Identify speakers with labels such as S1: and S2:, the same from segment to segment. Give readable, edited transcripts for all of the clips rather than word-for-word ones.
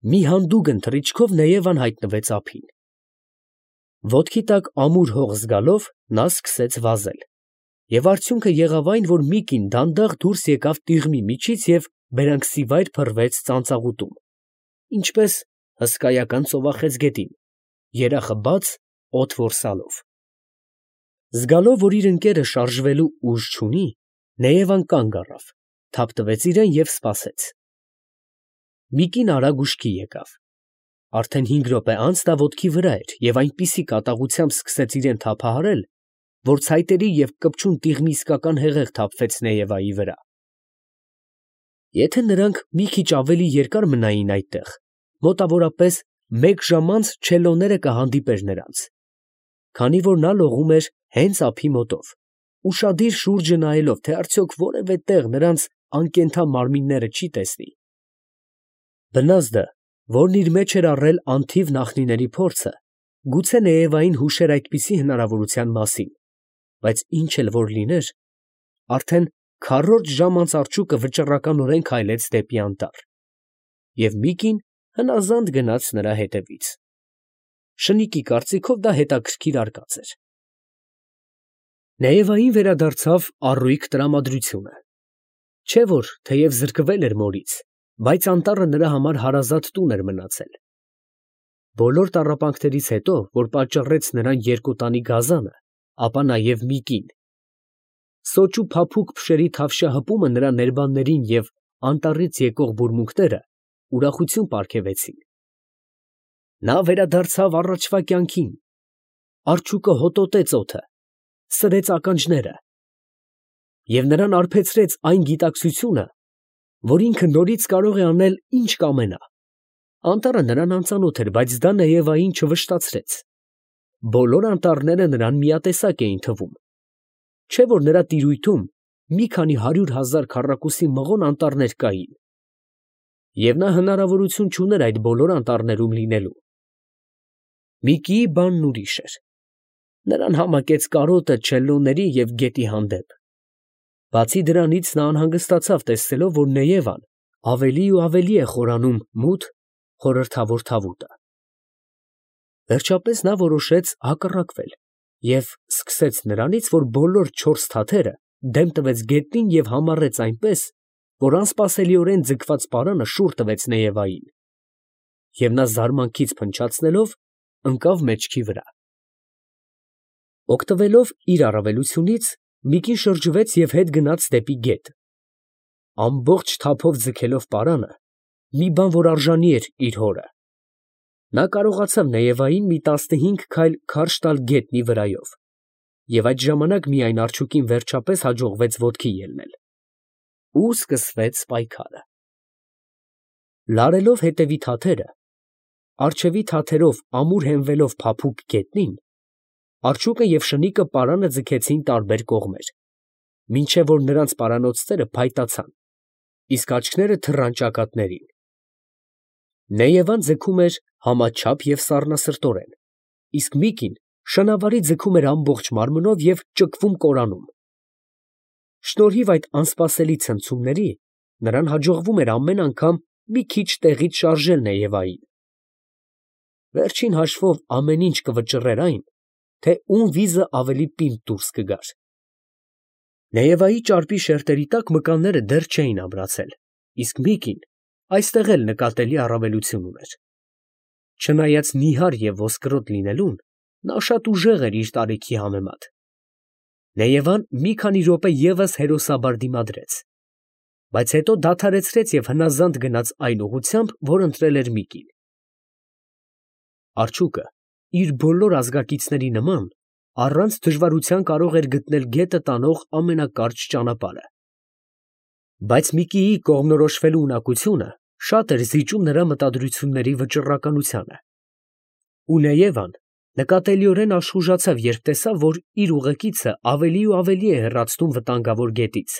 S1: Մի հանդուգն թռիչքով Նեևան հայտնվեց ափին։ Ոտքի տակ ամուր հող զգալով նա սկսեց վազել, և արդյունքը եղավ այն, որ մի կին դանդաղ դուրս եկավ տիղմի միջից և բերանքսիվայր փռվեց ծանծաղուտում, ինչպես հսկայական ծովախեց գետին, երախը բաց, օդ որսալով։ Զգալով, որ իր ընկերը շարժվելու ուժ չունի, Նեևան կանգ առավ, թափ տվեց իրան և սպասեց։ Մի կին արագ ուշքի եկավ։ Արդեն 5 րոպե անց նա ոտքի վրա էր և այնպիսի կատաղությամբ սկսեց իրան թափահարել, որ ցայտերի և կպչուն տիղմի իսկական հեղեղ թափվեց Նեևայի վրա։ Եթե նրանք մի քիչ ավելի երկար մնային այդտեղ, մոտավորապես 1 ժամ անց չելլոները կհանդիպեր նրանց, քանի որ նա լողում էր հենց ափի մոտով, ուշադիր շուրջը նայելով, թե արդյոք որևէ տեղ նրանց անկենդան մարմինները չի տեսնի։ Բնազդը, որն իր մեջ էր առել անթիվ նախնիների փորձը, գուցե Նեևային հուշեր այդպիսի հնարավորության մասին, բայց ինչ էլ որ լիներ, արդեն քառորդ ժամ անց արջուկը վճռականորեն քայլեց դեպի անտառ, և մի կին հնազանդ գնաց նրա հետևից։ Շնիկի կարծիքով դա հետաքրքիր արկած էր։ Նեևային վերադարձավ առույգ տրամադրությունը։ Չէ որ, թեև զրկվել էր մորից, բայց անտառը նրա համար հարազատ տուն էր մնացել։ Բոլոր տառապանքներից հետո, որ պատճառեց նրան երկոտանի գազանը, ապա նաև մի կին։ Սոճու փափուկ փշերի թավշյա հպումը նրա ներբաններին և անտառից եկող բուրմունքները ուրախություն պարգևեցին։ Նա վերադարձավ առաջվա կյանքին։ Արջուկը հոտոտեց օդը, սրեց ականջները, և նրան արբեցրեց այն գիտակցությունը, որ ինքը նորից կարող է անել ինչ կամենա։ Անտառը նրան անծանոթ էր, բայց դա Նեևային չվշտացրեց։ Բոլոր անտառները նրան միատեսակ էին թվում։ Չէ որ նրա տիրույթում մի քանի 100,000 քառակուսի մղոն անտառներ կային, և նա հնարավորություն չուներ այդ բոլոր անտառներում լինելու։ Միկիի բանն ուրիշ էր։ Նրան համակեց կարոտը չելլոների և գետի հանդեպ։ Բացի դրանից նա անհանգստացավ, տեսնելով, որ Նեևան ավելի ու ավելի է խորանում մութ, խորհրդավոր թավուտը։ Վերջապես նա որոշեց հակառակվել և սկսեց նրանից, որ բոլոր 4 թաթերը դեմ տվեց գետնին և համառեց այնպես, որ անսպասելիորեն ձգված պարանը շուռ տվեց Նեևային, և նա զարմանքից փնչացնելով ընկավ մեջքի վրա։ Օգտվելով իր առավելությունից, մի կին շրջվեց և հետ գնաց դեպի գետ։ Ամբողջ թափով ձգելով պարանը, մի բան, որ արժանի էր իր հորը, նա կարողացավ Նեևային մի 15 քայլ քարշ տալ գետնի վրայով, և այդ ժամանակ միայն արջուկին վերջապես հաջողվեց ոտքի ելնել։ Ու սկսվեց պայքարը։ Լարելով հետևի թաթերը, առջևի թաթերով ամուր հենվելով փափուկ գետնին, արջուկը և շնիկը պարանը ձգեցին տարբեր կողմեր, մինչև որ նրանց պարանոցները փայտացան, իսկ աչքերը թռան ճակատներին։ Նեևան ձգում էր համաչափ և սառնասրտորեն, իսկ մի կին շնավարի ձգում էր ամբողջ մարմնով և ճկվում կորանում։ Շնորհիվ այդ անսպասելի ցնցումների, նրան հաջողվում էր ամեն անգամ մի քիչ տեղից շարժել Նեևային։ Վերջին հաշվով ամեն ինչ կվճռեր այն, թե ում վիզը ավելի պինդ դուրս կգար։ Նեևայի ճարպի շերտերի տակ մկանները դեռ չէին ամրացել, իսկ մի կին այստեղ էլ նկատելի առավելություն ուներ։ Չնայած նիհար և ոսկրոտ լինելուն, նա շատ ուժեղ էր իր տարիքի համեմատ։ Նեևան մի քանի րոպե ևս հերոսաբար դիմադրեց, բայց հետո դադարեցրեց և հնազանդ գնաց այն ուղղությամբ, որ ընտրել էր մի կին։ Արջուկը իր բոլոր ազգակիցների նման առանց դժվարության կարող էր գտնել գետը տանող ամենակարճ ճանապարհը։ Բայց Միկիի կողմնորոշվելու ունակությունը շատ էր զիջում նրա մտադրությունների վճռականությանը։ Ու Նեևան նկատելիորեն աշխուժացավ, երբ տեսավ, որ իր ուղեկիցը ավելի ու ավելի է հեռացնում վտանգավոր գետից,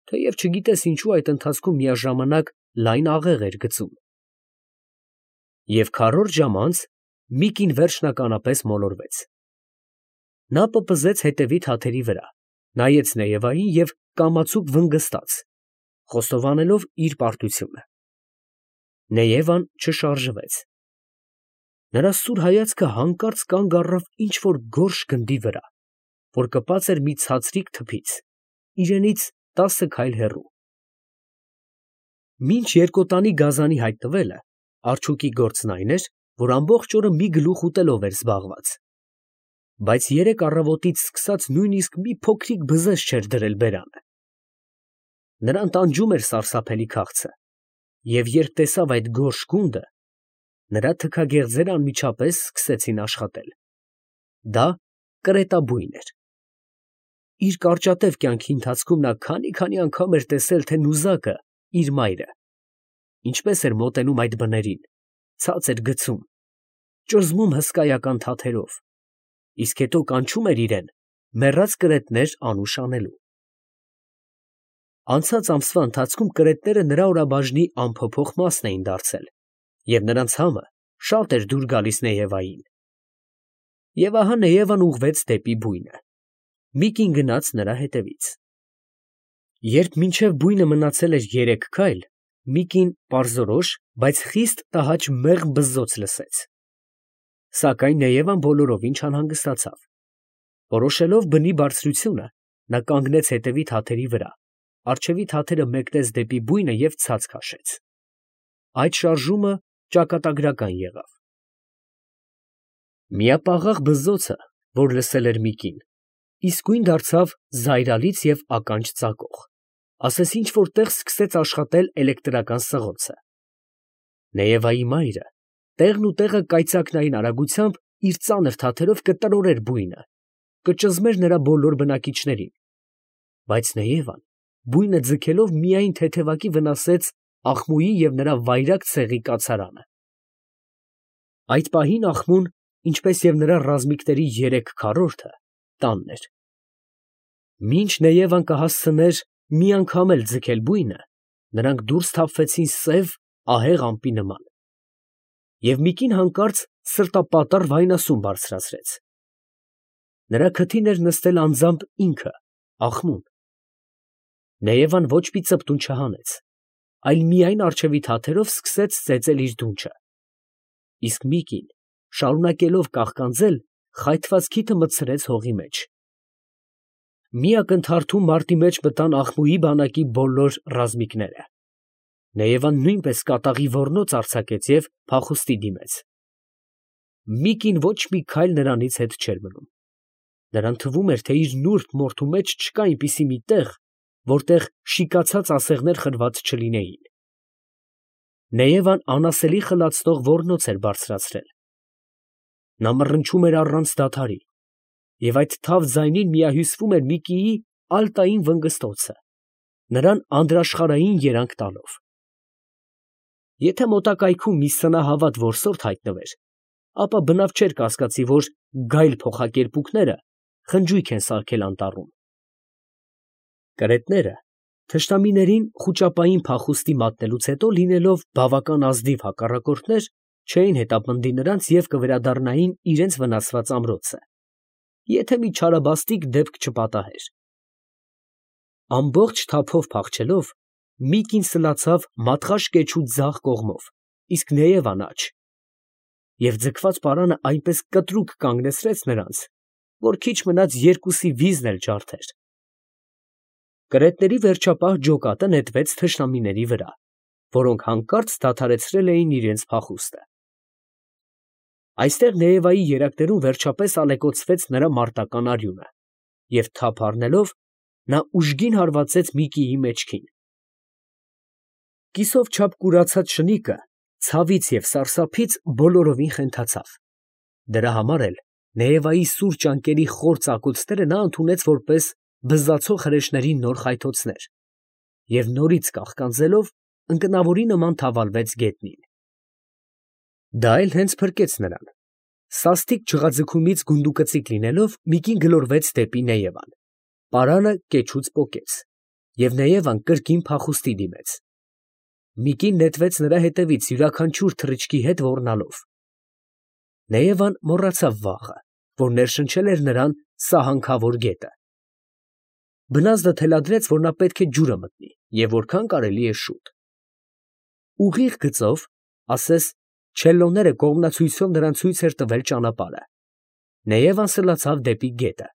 S1: թեև չգիտես ինչու այդ ընթացքում միաժամանակ լայն աղեղ էր գցում։ Եվ քառորդ ժամ անց մի կին վերջնականապես մոլորվեց։ Նա պպզեց հետևի թաթերի վրա, նայեց Նեևային և կամացուկ վնգստաց, խոստովանելով իր պարտությունը։ Նեևան չշարժվեց։ Նրա սուր հայացքը հանկարծ կանգ առավ ինչ֊որ գորշ գնդի վրա, որ կպած էր մի ցածրիկ թփից, իրենից 10 քայլ հեռու։ Մինչ երկոտանի գազանի հայտնվելը, արջուկի գործն այն էր, որ ամբողջ օրը մի գլուխ ուտելով էր զբաղված, բայց երեկ առավոտից սկսած նույնիսկ մի փոքրիկ բզեզ չէր դրել բերանը։ Նրան տանջում էր սարսափելի քաղցը, և երբ տեսավ այդ գորշ գունդը, նրա թքագեղձերը անմիջապես սկսեցին աշխատել։ Դա կրետաբույն էր։ Իր կարճատև կյանքի ընթացքում նա քանի անգամ էր տեսել, թե նուզակը, իր մայրը, ինչպես էր մոտենում այդ բներին, ցած էր գցում, ճզմում հսկայական թաթերով, իսկ հետո կանչում էր իրեն մեռած կրետներ անուշ անելու։ Անցած ամսվա ընթացքում կրետները նրա օրաբաժնի անփոփոխ մասն էին դարձել, և նրանց համը շատ էր դուր գալիս Նեևային։ Եվ ահա Նեևան ուղղվեց դեպի բույնը։ Միկին գնաց նրա հետևից։ Երբ մինչև բույնը մնացել էր 3 քայլ, Միկին պարզորոշ, բայց խիստ տհաճ մեղմ բզզոց լսեց։ Սակայն Նեևան բոլորովին չանհանգստացավ։ Որոշելով բնի բարձրությունը, նա կանգնեց հետևի թաթերի վրա, առջևի թաթերը մեկնեց դեպի բույնը և ցած քաշեց։ Այդ շարժումը ճակատագրական եղավ։ Միապաղաղ բզզոցը, որ լսել էր Միկին, իսկույն դարձավ զայրալից և ականջ ծակող, ասես ինչ֊որ տեղ սկսեց աշխատել էլեկտրական սղոցը։ Նեևայի մայրը տեղն ու տեղը կայծակնային արագությամբ իր ծանր թաթերով կտրորեր բույնը, կճզմեր նրա բոլոր բնակիչներին, բայց Նեևան բույնը ձգելով միայն թեթևակի վնասեց Աղմուի և նրա վայրագ ցեղի կացարանը։ Այդ պահին Աղմուն, ինչպես և նրա ռազմիկների 3 քառորդը, տանն էր։ Մինչ Նեևան կհասցներ մի անգամ էլ ձգել բույնը, նրանք դուրս թափվեցին սև, ահեղ ամպի նման։ Եվ Միկին հանկարծ սրտապատառ վայնասուն բարձրացրեց։ Նրա քթին էր նստել անձամբ ինքը, Աղմուն։ Նեևան ոչ մի ծպտուն չհանեց, այլ միայն առջևի թաթերով սկսեց ծեծել իր դունչը, իսկ Միկին, շարունակելով կաղկանձել, խայթված քիթը մտցրեց հողի մեջ։ Մի ակնթարթում մարտի մեջ մտան Աղմուի բանակի բոլոր ռազմիկները։ Նեևան նույնպես կատաղի ոռնոց արձակեց և փախուստի դիմեց։ Միկին ոչ մի քայլ նրանից հետ չէր մնում։ Նրան թվում էր, թե իր նուրբ մորթու մեջ չկա այնպիսի մի տեղ, որտեղ շիկացած ասեղներ խրված չլինեին։ Նեևան անասելի խլացնող ոռնոց էր բարձրացրել։ Նա մռնչում էր առանց դադարի, և այդ թավ ձայնին միահյուսվում էր Միկիի ալտային վնգստոցը, նրան անդրաշխարհային երանգ տալով։ Եթե մոտակայքում մի սնահավատ որսորդ հայտնվեր, ապա բնավ չէր կասկածի, որ գայլ փոխակերպուկները խնջույք են սարքել անտառում։ Կրետները թշնամիներին խուճապային փախուստի մատնելուց հետո, լինելով բավական ազնիվ հակառակորդներ, չէին հետապնդի նրանց և կվերադառնային իրենց վնասված ամրոցը, եթե մի չարաբաստիկ դեպք չպատահեր։ Ամբողջ թափով փախչելով, Միկին սլացավ մատղաշ կեչու ձախ կողմով, իսկ Նեևան աջ, և ձգված պարանը այնպես կտրուկ կանգնեցրեց նրանց, որ քիչ մնաց երկուսի վիզն էլ ջարդեր։ Կրետների վերջապահ ջոկատը նետվեց թշնամիների վրա, որոնք հանկարծ դադարեցրել էին իրենց փախուստը։ Այստեղ Նեևայի երակներում վերջապես ալեկոծվեց նրա մարտական արյունը, և թափ առնելով, նա ուժգին հարվածեց Միկիի մեջքին։ Կիսով չափ կուրացած շնիկը ցավից և սարսափից բոլորովին խենթացավ։ Դրա համար էլ Նեևայի սուր ճանկերի խոր ծակոցները նա ընդունեց որպես բզզացող հրեշների նոր խայթոցներ և նորից կաղկանձելով, ընկնավորի նման թավալվեց գետնին։ Դա էլ հենց փրկեց նրան։ Սաստիկ չղաձգումից գունդուկծիկ լինելով, Միկին գլորվեց դեպի Նեևան։ Պարանը կեչուց պոկեց, և Նեևան կրկին փախուստի դիմեց։ Միկին նետվեց նրա հետևից յուրաքանչյուր թռիչքի հետ ոռնալով։ Նեևան մոռացավ վաղը, որ ներշնչել էր նրան սահանքավոր գետը։ Բնազդը թելադրեց, որ նա պետք է ջուրը մտնի, և որքան կարելի է շուտ։ Ուղիղ գծով, ասես չելլոները կողմնացույցով նրան ցույց էր տվել ճանապարհը։ Նեևան սլացավ դեպի գետը,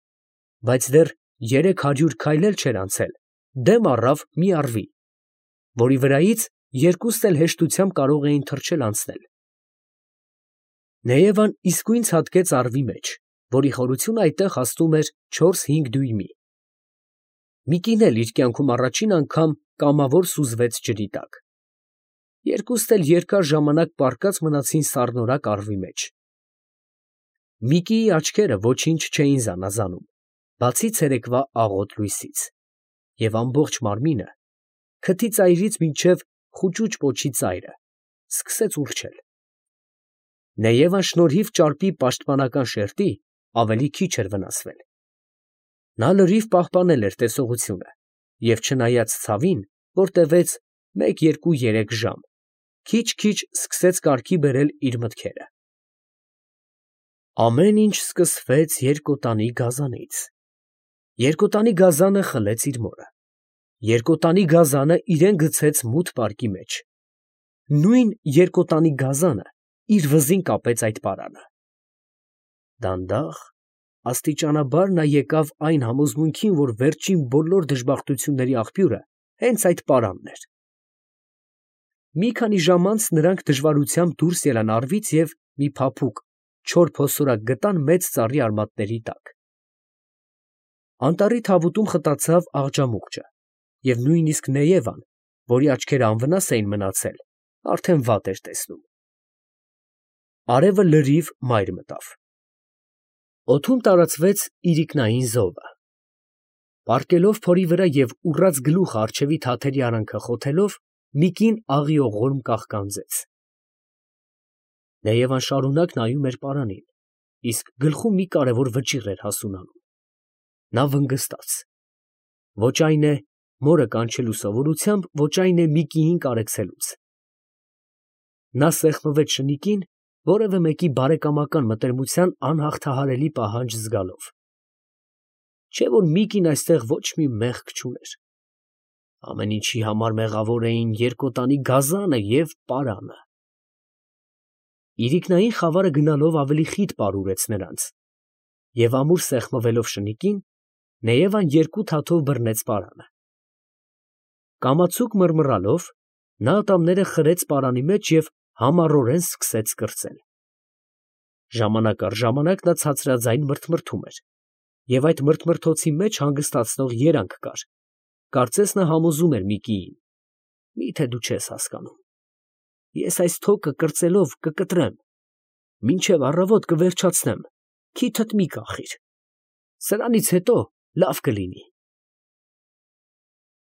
S1: բայց դեռ 300 քայլ էլ չէր անցել, դեմ առավ մի առվի, որի վրայից երկուստ էլ հեշտությամբ կարող էին թռչել անցնել։ Նեևան իսկույն ցատկեց առվի մեջ, որի խորությունը այդտեղ հասնում էր 4-5 դույմի։ մի կին էլ իր կյանքում առաջին անգամ կամավոր սուզվեց ջրի տակ։ Երկուստ էլ երկար ժամանակ պառկած մնացին սառնորակ առվի մեջ։ Միկիի աչքերը ոչինչ չէին զանազանում, բացի ցերեկվա աղոտ լույսից, և ամբողջ մարմինը, քթի ծայրից մինչև խուճուճ պոչի ծայրը, սկսեց ուռչել։ Նեևան շնորհիվ ճարպի պաշտպանական շերտի ավելի քիչ էր վնասվել։ Նա լրիվ պահպանել էր տեսողությունը և չնայած ցավին, որ տևեց 1-2-3 ժամ, քիչ-քիչ սկսեց կարգի բերել իր մտքերը։ Ամեն ինչ սկսվեց երկոտանի գազանից։ Երկոտանի գազանը խլեց իր մորը։ Երկոտանի գազանը իրան գցեց մութ պարկի մեջ։ Նույն երկոտանի գազանը իր վզին կապեց այդ պարանը։ Դանդաղ, աստիճանաբար նա եկավ այն համոզմունքին, որ վերջին բոլոր դժբախտությունների աղբյուրը հենց այդ պարանն էր։ Մի քանի ժամ անց նրանք դժվարությամբ դուրս ելան առվից և մի փափուկ, չոր փոսորակ գտան մեծ ծառի արմատների տակ։ Անտառի թավուտում խտացավ աղջամուղջը, և նույնիսկ Նեևան, որի աչքերը անվնաս էին մնացել, արդեն վատ էր տեսնում։ Արևը լրիվ մայր մտավ։ Օդում տարածվեց իրիկնային զովը։ Պառկելով փորի վրա և ուռած գլուխը առջևի թաթերի արանքը խոթելով, մի կին աղիողորմ կաղկանձեց։ Նեևան շարունակ նայում էր պարանին, իսկ գլխում մի կարևոր վճիռ էր հասունանում։ Նա վնգստաց։ Ոչ այն է մորը կանչելու սովորությամբ, ոչ այն է Միկիին կարեկցելուց։ Նա սեղմվեց շնիկին, որևէ մեկի բարեկամական մտերմության անհաղթահարելի պահանջ զգալով։ Չէ՞ որ Միկին այստեղ ոչ մի մեղք չուներ։ Ամեն ինչի համար մեղավոր էին երկոտանի գազանը և պարանը։ Իրիկնային խավարը գնալով ավելի խիտ պարուրեց նրանց, և ամուր սեղմվելով շնիկին, Նեևան երկու թաթով բռնեց պարանը։ Կամացուկ մռմռալով, նա ատամները խրեց պարանի մեջ և համառորեն սկսեց կրծել։ Ժամանակ առ ժամանակ նա ցածրաձայն մրթմրթում էր, և այդ մրթմրթոցի մեջ հանգստացնող երանգ կար, կարծես նա համոզում էր Միկիին. «Մի՞թե դու չես հասկանում. ես այս թոկը կրծելով կկտրեմ, մինչև առավոտ կվերջացնեմ, քիթդ մի կախիր, սրանից հետո լավ կլինի»։